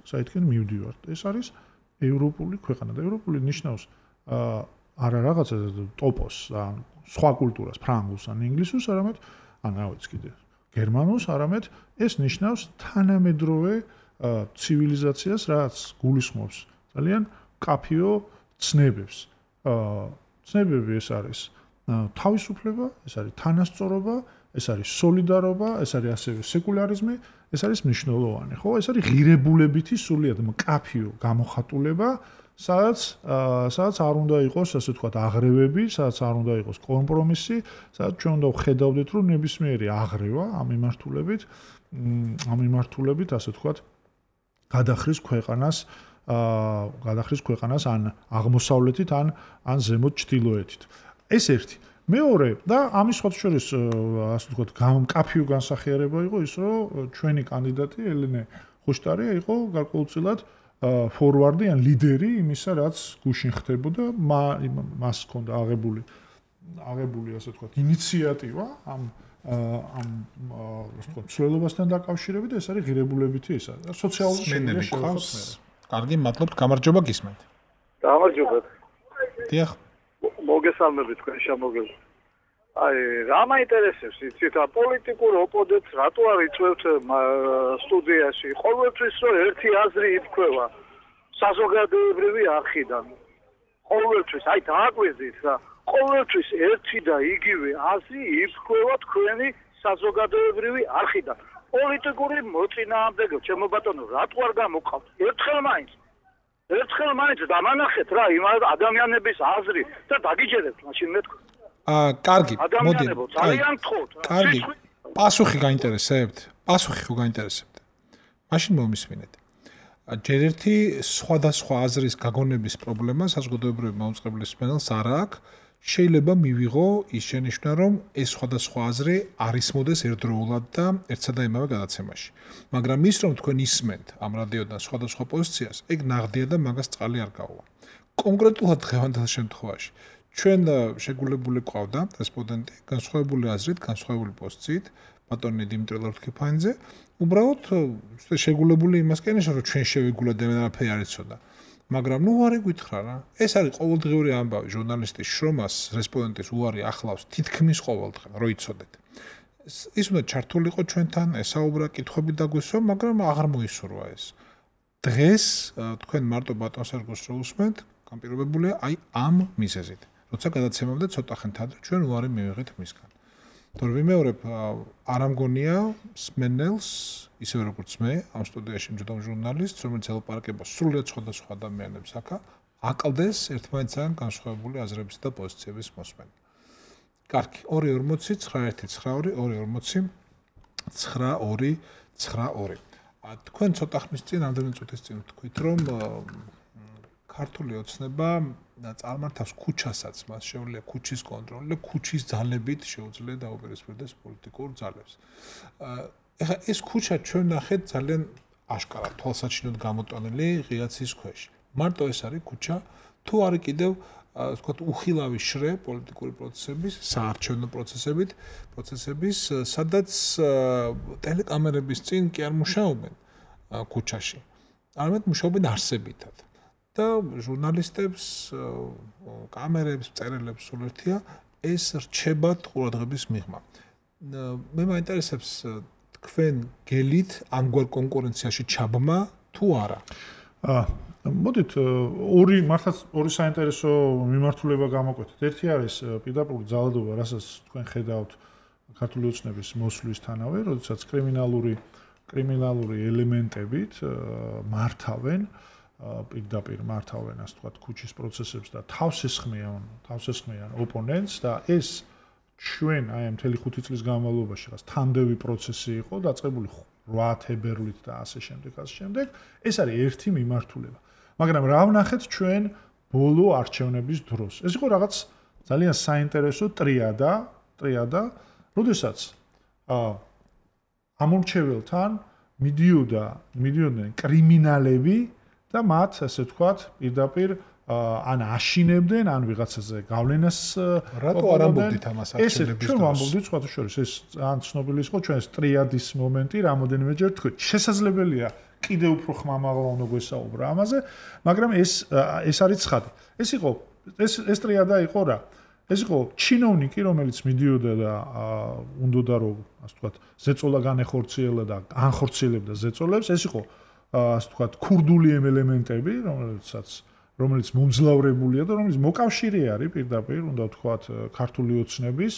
საითკენ მივდივარ. ეს არის ევროპული ქვეყანა და ევროპული ნიშნავს არა რაღაცა ტოპოს ან სხვა კულტურას, ფრანგულს ან ინგლისურს, არამედ რა ვიცი კიდე, გერმანულს, არამედ ეს ნიშნავს თანამედროვე ცივილიზაციას, რაც გულისხმობს ძალიან კაფიო ცნებებს. ცნებები ეს არის თავისუფლება, ეს არის თანასწორობა, ეს არის სოლიდარობა, ეს არის ასევე სეკულარიზმი, ეს არის მნიშვნელოვანი, ხო? ეს არის ღირებულებითი სრულიად კაფიო გამოხატულება, სადაც არ უნდა იყოს, ასე ვთქვათ, აღრევები, სადაც არ უნდა იყოს კომპრომისი, სადაც ჩვენ უნდა ვხედავდეთ, რომ ნებისმიერი აღრევა ამ მიმართულებით, ასე ვთქვათ, გადახრის ქვეყანას ან აღმოსავლეთით, ან ზემოთ ჩრდილოეთით. ეს ერთი. მეორე და ამის სხვა შორის, ასე ვთქვათ, კაფიო განსახიერება იყო ის, რომ ჩვენი კანდიდატი ელენე ხუშტარია იყო გარკვეულწილად ფორვარდი ან ლიდერი იმისა, რაც გუშინ ხდებოდა, მას ჰქონდა აღებული, ასე ვთქვათ, ინიციატივა ამ ასე ვთქვათ, მსვლელობასთან დაკავშირებით, ეს არის ღირებულებითი ისა. სოციალური შედეგი შეხვდეთ. კარგი, მადლობთ, გამარჯობა გისმენთ. გამარჯობა. დიახ. მოგესალმებით თქვენ შემოგელს. რა მაინტერესებს, იცით, პოლიტიკურ ოპონენტს რატო არ იწვევთ სტუდიაში? ყოველთვის რომ ერთი აზრი იფქვევა საზოგადოებრივი არხიდან. ყოველთვის, დააკვირდით რა, ყოველთვის ერთი და იგივე აზრი იფქვევა თქვენი საზოგადოებრივი არხიდან. პოლიტიკური მოწინააღმდეგე, ჩემო ბატონო, რატო არ გამოგყავთ? ერთხელ მაინც დამანახეთ რა იმ ადამიანების აზრი და დაგიჯერებთ მაშინ მეთქვა. კარგი, მოდი. ძალიან გთხოვთ. კარგი. პასუხი გაინტერესებთ? პასუხი ხო გაინტერესებთ? მაშინ მომისმინეთ. ჯერ ერთი სხვადასხვა აზრის გაგონების პრობლემა საზოგადოებრივი მაუწყებლის მენელს არ აქვს. შეიძლება მივიღო ის შენიშვნა, რომ ეს სხვადასხვა აზრი არ ისმოდეს ერთდროულად და ერთსა და იმავე გადაცემაში. მაგრამ ის რომ თქვენ ისმენთ ამ რადიოდან სხვადასხვა პოზიციას, ეგ ნაღდია და მაგას წყალი არ გაუვა. კონკრეტულად დღევანდელ შემთხვევაში ჩვენ შეგულებული ყავდა რესპონდენტი განსხვავებული აზრით, განსხვავებული პოზიციით, ბატონი დიმიტრი ლორთქიფანიძე, უბრალოდ შეგულებული იმასკენ, რომ ჩვენ შევიგულოთ და არაფერი არ იცოდა. მაგრამ ნუ არ ეკითხა რა. ეს არის ყოველდღიური ამბავი ჟურნალისტის შრომას, რესპონდენტის უარი ახლავს თითქმის ყოველდღე, რო იცოდეთ. ის უნდა ჩართულიყო ჩვენთან, ესაუბრა, კითხვები დაგვესვა, მაგრამ აღარ მოისურვა ეს. დღეს თქვენ მარტო ბატონ სერგოს რო უსმენთ, განპირობებულია აი ამ მიზეზით. როცა გადაცემამდე ცოტა ხანთ ადრე ჩვენ უარი მივიღეთ მისგან. თორე ვიმეორებ არ ამგონია სმენელს ისევე როგორც მე ამ სტუდიაში მჯდომ ჟურნალისტს რომელიც ელაპარაკება სრულიად სხვადასხვა ადამიანებს აქა აკლდეს ერთმანეთთან განსხვავებული აზრების და პოზიციების მოსმენა. კარგი 240-19-240-92-92. თქვენ ცოტა ხნის წინ ამდენი წუთის წინ თქვით რომ ქართული ოცნება წარმართავს ქუჩასაც, მას შეუძლია ქუჩის კონტროლი და ქუჩის ძალებით შეუძლია დაუპირისპირდეს პოლიტიკურ ძალებს. ეხლა ეს ქუჩა ჩვენ ნახეთ ძალიან აშკარად თვალსაჩინოდ გამოტანილი ღიაცის ქვეშ. მარტო ეს არის ქუჩა, თუ არის კიდევ ვთქვათ უხილავი შრე პოლიტიკური პროცესების, საარჩევნო პროცესების, სადაც ტელეკამერების წინ კი არ მუშაობენ ქუჩაში. არამედ მუშაობენ არსებითად. და ჟურნალისტებს, კამერებს, მწერლებს სულ ერთია ეს რჩებათ ყურადღების მიღმა. მე მაინტერესებს თქვენ გელით ამგვარ კონკურენციაში ჩაბმა თუ არა? მოდით მართლაც ორი საინტერესო მიმართულება გამოკვეთეთ. ერთი არის პირდაპირ ძალადობა, რასაც თქვენ ხედავთ ქართული ოცნების მოსვლისთანავე, როდესაც კრიმინალური ელემენტებით მართავენ პირდაპირ მართავენ ასე ვთქვათ ქუჩის პროცესებს და თავს ესხმიან ოპონენტს და ეს ჩვენ აი ამ მთელი 5 წლის განმავლობაში რაც თანდევი პროცესი იყო დაწყებული 8 თებერვლით და ასე შემდეგ ეს არის ერთი მიმართულება მაგრამ რა ვნახეთ ჩვენ ბოლო არჩევნების დროს ეს იყო რაღაც ძალიან საინტერესო ტრიადა როდესაც ამორჩეველთან მიდიოდნენ კრიმინალები და მათ ასე ვთქვათ პირდაპირ ან აშინებდნენ ან ვიღაცაზე გავლენას რატო არ ამბობდით ამას არჩევნების ჩვენ ამბობდით სხვათა შორის ეს ან ცნობილი იყო ჩვენს ტრიადის მომენტი რამოდენიმეჯერ თქვით შესაძლებელია კიდევ უფრო ხმამაღლა უნდა გვესაუბრა ამაზე მაგრამ ეს არის ცხადი ეს ტრიადა იყო რა ეს იყო ჩინოვნიკი რომელიც მიდიოდა და უნდოდა რომ ასე ვთქვათ ზეწოლა განეხორციელა და განხორციელებდა ზეწოლებს ეს იყო ასე ვთქვათ ქურდული ელემენტები რომელიც მომძლავრებულია და რომელიც მოკავშირე არის პირდაპირ უნდა ვთქვათ ქართული ოცნების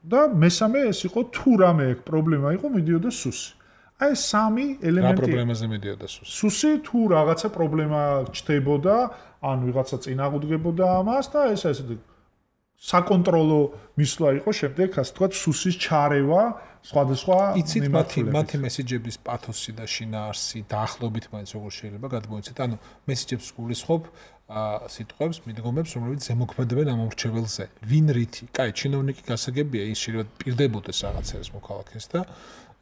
და მესამე ეს იყო თუ რამე პრობლემა იყო მიდიოდა სუსი აი სამი ელემენტი რა პრობლემაზე მიდიოდა სუსი თუ რაღაცა პრობლემა ჩდებოდა ან ვიღაცა წინააღმდეგებოდა ამას და ეს საკონტროლო მისვლა იყო შემდეგ ასე ვთქვათ სუსის ჩარევა სხვადასხვა იცით მათი მესიჯების პათოსი და შინაარსი დაახლოებით მაინც როგორ შეიძლება გადმოიცეთ ანუ მესიჯებს გულისხმობ სიტყვებს მიდგომებს რომლებიც ზემოქმედებენ ამ მორჩეველზე ვინ რითი კაი ჩინოვნიკი გასაგებია ის შეიძლება პირდებოდეს რაღაცას მოქალაქეს და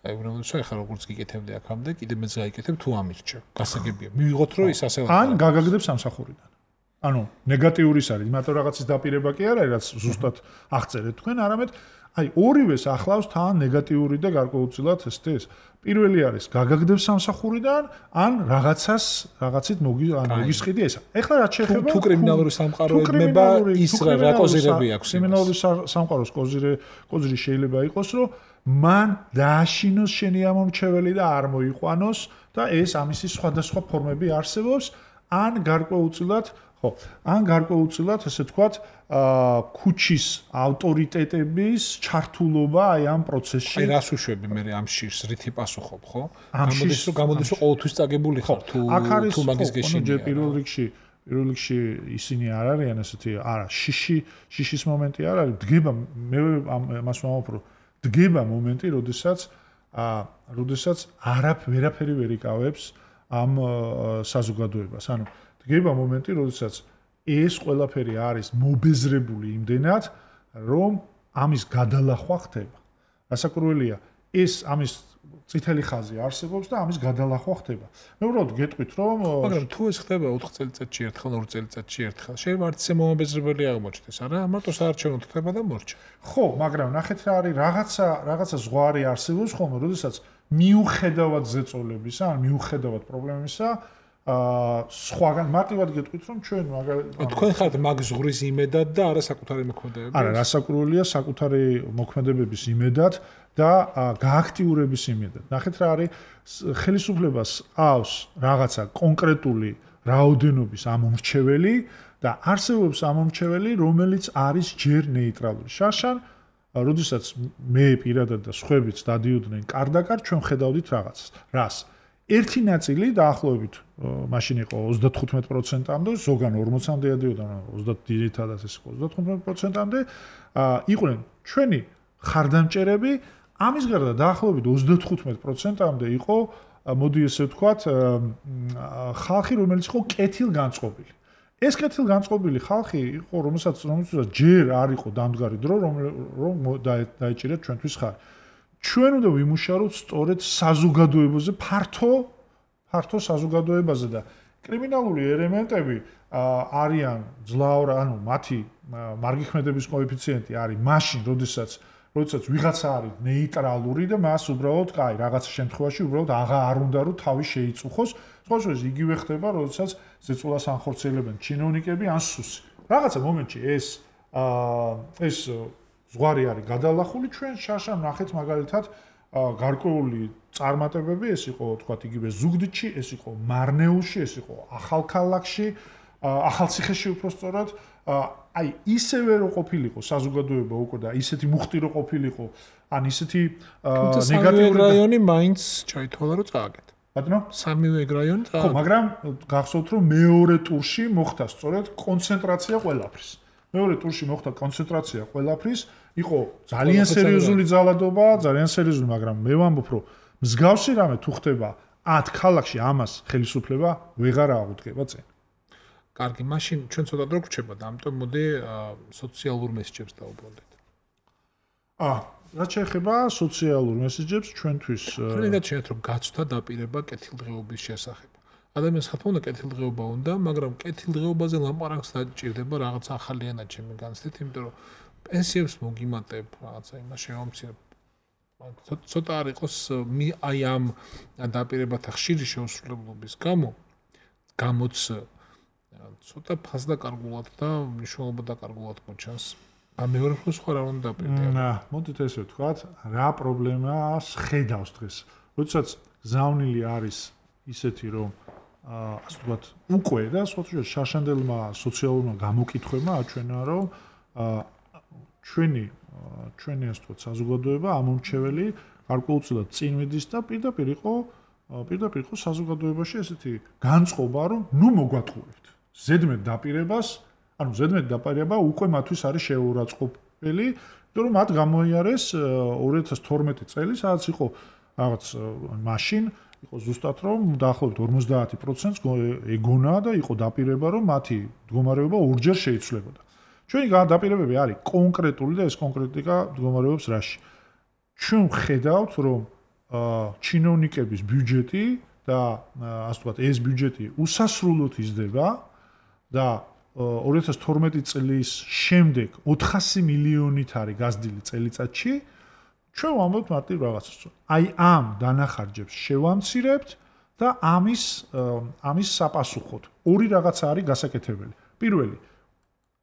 აი უბრალოდ ხა როგორც გიკეთებდი აქამდე კიდე მეც გაიკეთებ თუ ამირჩევ გასაგებია მივიღოთ რომ ის ასე ან გაგაგდებს სამსახურიდან ანუ ნეგატიურის არის იმიტომ რაღაცის დაპირება კი არ არის რაც ზუსტად აღწერეთ თქვენ არამედ აი ორივეს ახლავს თან ნეგატიური და გარკვეულწილად ეს პირველი არის გაგაგდებს სამსახურიდან ან რაღაცით მოგისყიდი ესა ეხლა რაც შეეხება თუ კრიმინალური სამყაროებმა ის რა კოზირები აქვს კრიმინალური სამყაროს კოზირი შეიძლება იყოს რომ მან დააშინოს შენი ამომრჩეველი და არ მოიყვანოს და ეს ამისი სხვადასხვა ფორმები არსებობს ან გარკვეულწილად ესე ვთქვათ ქუჩის ავტორიტეტების ჩართულობა აი ამ პროცესში აი რას უშვები მე ამ შირს რითი პასუხობ ხო გამოდის რომ ყოველთვის წაგებული ხარ თუ მაგის გეშინია პირველ რიგში ისინი არ არიან ესეთი არა შიშის მომენტი არ არის დგება მე მას ვამბობ რომ დგება მომენტი როდესაც ვერაფერი ვერ იკავებს ამ საზოგადოებას ანუ დგება მომენტი, როდესაც ეს ყველაფერი არის მობეზრებული იმდენად, რომ ამის გადალახვა ხდება. რასაკურველია, ეს ამის წითელი ხაზი არსებობს და ამის გადალახვა ხდება. მე უბრალოდ გეტყვით, რომ მაგრამ თუ ეს ხდება 4 წელიწადში ერთხელ, 2 წელიწადში ერთხელ, შეიძლება არც ისე მომობეზრებელი აღმოჩნდეს, არა? მარტო საარჩევნო ხდება და მორჩა. ხო, მაგრამ ნახეთ რა არის, რაღაცა ზღვარი არსებობს ხოლმე, როდესაც მიუხედავად ზეწოლებისა, ან მიუხედავად პრობლემისა სხვაგან მარტივად გეტყვით რომ ჩვენ თქვენ ხართ მაგ ზღვრის იმედად და არა საკუთარი მოქმედებების არა რასაკურველია საკუთარი მოქმედებების იმედად და გააქტიურების იმედად ნახეთ რა არის ხელისუფლებას ყავს რაღაცა კონკრეტული რაოდენობის ამომრჩეველი და არსებობს ამომრჩეველი, რომელიც არის ჯერ ნეიტრალური. შარშან, როდესაც მე პირადად და სხვაებიც დადიოდნენ კარდაკარ, ჩვენ ხედავდით რაღაცას. რას? ერთი ნაწილი დაახლოებით მაშინ იყო 35%-მდე, ზოგან 40-მდე დადიოდა, 30 ძირითადად ეს იყო 35%-მდე, იყვნენ ჩვენი ხარდამჭერები, ამის გარდა დაახლოებით 35%-მდე იყო, მოდი ესე ვთქვათ, ხალხი, რომელიც იყო კეთილგანწყობილი. ეს კეთილგანწყობილი ხალხი იყო, რომელსაც ჯერ არ იყო დამდგარი დრო, რომ დაეჭირეთ ჩვენთვის ხარი. ჩვენ უნდა ვიმუშაოთ სწორედ საზოგადოებაზე, ფართო საზოგადოებაზე და კრიმინალური ელემენტები არიან ძლავრ, ანუ მათი მარგიხმედების კოეფიციენტი არის მაშინ, როდესაც ვიღაცა არის ნეიტრალური და მას უბრალოდ, რაღაცა შემთხვევაში უბრალოდ არ უნდა რომ თავი შეიწუხოს. სხვა შორის იგივე ხდება, როდესაც ზეწოლას ანხორციელებენ ჩინოვნიკები ან სუსი. რაღაცა მომენტში ეს ზღვარი არის გადალახული, ჩვენ შარშან ნახეთ მაგალითად გარკვეული წარმატებები, ეს იყო თქვათ იგივე ზუგდიდში, ეს იყო მარნეულში, ეს იყო ახალქალაქში, ახალციხეში უпростоრად, აი ისევე რო ყოფილიყო საზოგადოება უკვე და ისეთი მუხტი რო ყოფილიყო, ან ისეთი ნეგატიური რაიონი მაინც ჩაითვალა რომ წააგეთ. ბატონო, სამივე რაიონი წააგეთ. ხო, მაგრამ გახსოვთ რომ მეორე ტურში მოხდა სწორედ კონცენტრაცია ყველაფრის. მეორე ტურში მოხდა კონცენტრაცია ყველაფრის, იყო ძალიან სერიოზული ძალადობა, ძალიან სერიოზული, მაგრამ მე ვამბობ, რომ მსგავსი რამე თუ ხდება 10 ქალაქში, ამას ხელისუფლება ვეღარ აღუდგება წინ. კარგი, მაშინ ჩვენ ცოტა დრო გვრჩება და ამიტომ მოდი სოციალურ მესეჯებს დავუბრუნდეთ. რაც შეეხება სოციალურ მესეჯებს, ჩვენთვის ხშირად შეიძლება რომ გაცვთა დაპირება კეთილდღეობის შესახებ. ადამიანს ხათმა უნდა კეთილდღეობა უნდა, მაგრამ კეთილდღეობაზე ლაპარაკს დაჭირდება რაღაც ახალი ენა ჩემი განცდით, იმიტომ რომ პენსიებს მოგიმატებ, რაღაცა იმას შევამცირებ. ცოტა არ იყოს აი ამ დაპირებათა ხშირი შეუსრულებლობის გამოც ცოტა ფასდაკარგულად და მნიშვნელობა დაკარგულად მოჩანს. მეორე მხრივ სხვა რა უნდა დაპირდება. მოდით ესე ვთქვათ, რა პრობლემას ხედავს დღეს. როდესაც გზავნილი არის ისეთი, რომ ასე ვთქვათ, უკვე და სხვა შარშანდელმა სოციალურმა გამოკითხვებმა აჩვენა, რომ ჩვენი ასე ვთქვათ, საზოგადოება ამომრჩეველი გარკვეულწილად წინ მიდის და პირდაპირ იყო საზოგადოებაში ესეთი განწყობა, რომ ნუ მოგვატყუებთ. ზედმეტ დაპირება უკვე მათთვის არის შეურაცხყოფელი, იმიტომ რომ მათ გამოიარეს 2012 წელი, სადაც იყო რაღაც მაშინ იყო ზუსტად რომ დაახლოებით 50%-ს ეგონა და იყო დაპირება, რომ მათი მდგომარეობა ორჯერ შეიცვლებოდა. ჩვენი დაპირებები არის კონკრეტული და ეს კონკრეტიკა მდგომარეობს რაში? ჩვენ ვხედავთ, რომ ჩინოვნიკების ბიუჯეტი და ასე ვთქვათ, ეს ბიუჯეტი უსასრულოდ იზრდება და 2012 წლის შემდეგ 400 მილიონით არის გაზრდილი წელიწადში. ჩვენ ვამბობთ მარტივ რაღაცას. აი ამ დანახარჯებს შევამცირებთ და ამის საპასუხოდ ორი რაღაცა არის გასაკეთებელი. პირველი,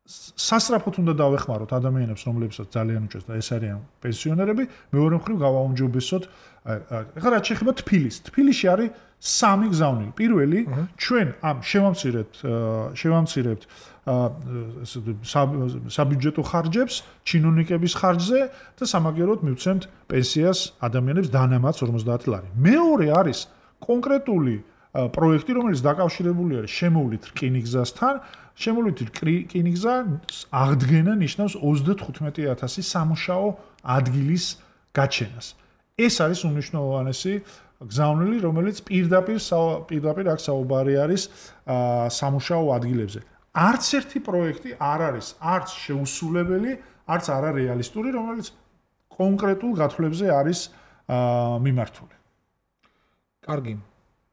სასწრაფოდ უნდა დავეხმაროთ ადამიანებს, რომლებსაც ძალიან უჭირს და ეს არიან პენსიონერები. მეორე მხრივ გავაუმჯობესოთ, ეხლა რაც შეეხება თბილისში არის სამი გზავნილი. პირველი, ჩვენ ამ შევამცირებთ საბიუჯეტო ხარჯებს, ჩინოვნიკების ხარჯზე და სამაგიეროდ მივცემთ პენსიას ადამიანებს დანამატს 50 ლარი. მეორე არის კონკრეტული პროექტი, რომელიც დაკავშირებული არის შემოვლით რკინიგზასთან. შემოვლით რკინიგზა აღდგენა ნიშნავს 35,000 სამუშაო ადგილის გაჩენას. ეს არის უნიშნულოვანესი გზავნილი, რომელიც პირდაპირ აქ საუბარი არის სამუშაო ადგილებზე. არც ერთი პროექტი არ არის არც შეუსრულებელი, არც არარეალისტური, რომელიც კონკრეტულ გათვლებზე არის მიმართული. კარგი.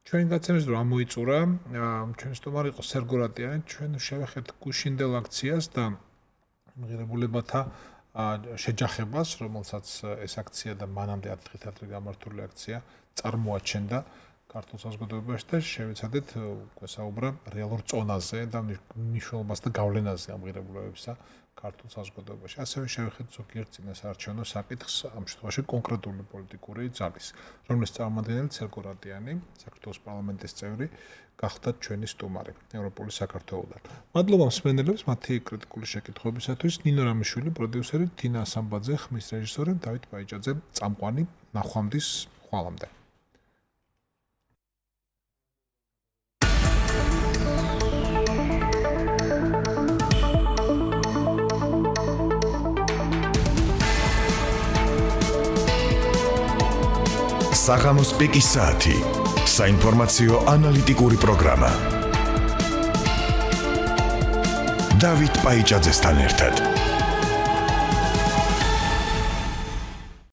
ჩვენ გაცემს რომ ამოიწურა, ჩვენი სტუმარი იყო სერგო რატიანი, ჩვენ შევეხეთ გუშინდელ აქციას და მიღებულებათა შეჯახებას, რომელსაც ეს აქცია და მანამდე 10 დღით ადრე გამართული აქცია წარმოაჩენდა. ქართულ საზოგადოებაში და შევეცადეთ უკვე საუბრა რეალურ წონაზე და მნიშვნელობასა და გავლენაზე ამ ღირებულებებისა ქართულ საზოგადოებაში. ასევე შევხედოთ ზოგიერთ წინასაარჩევნო საკითხს, ამ შემთხვევაში კონკრეტული პოლიტიკური ძალის, რომლის წარმომადგენელი ცერგო რატიანი, საქართველოს პარლამენტის წევრი, გახდათ ჩვენი სტუმარი ევროპული საქართველოდან. მადლობა მსმენელებს მათი კრიტიკული შეკითხვებისათვის. ნინო რამიშვილი, პროდიუსერი, თინა ასამბაძე, ხმის რეჟისორი, დავით ბაიჭაძე, წამყვანი, ნახვამდის ხვალამდე. საღამოს პიკის საათი. საინფორმაციო ანალიტიკური პროგრამა. დავით ბაიჭაძესთან ერთად.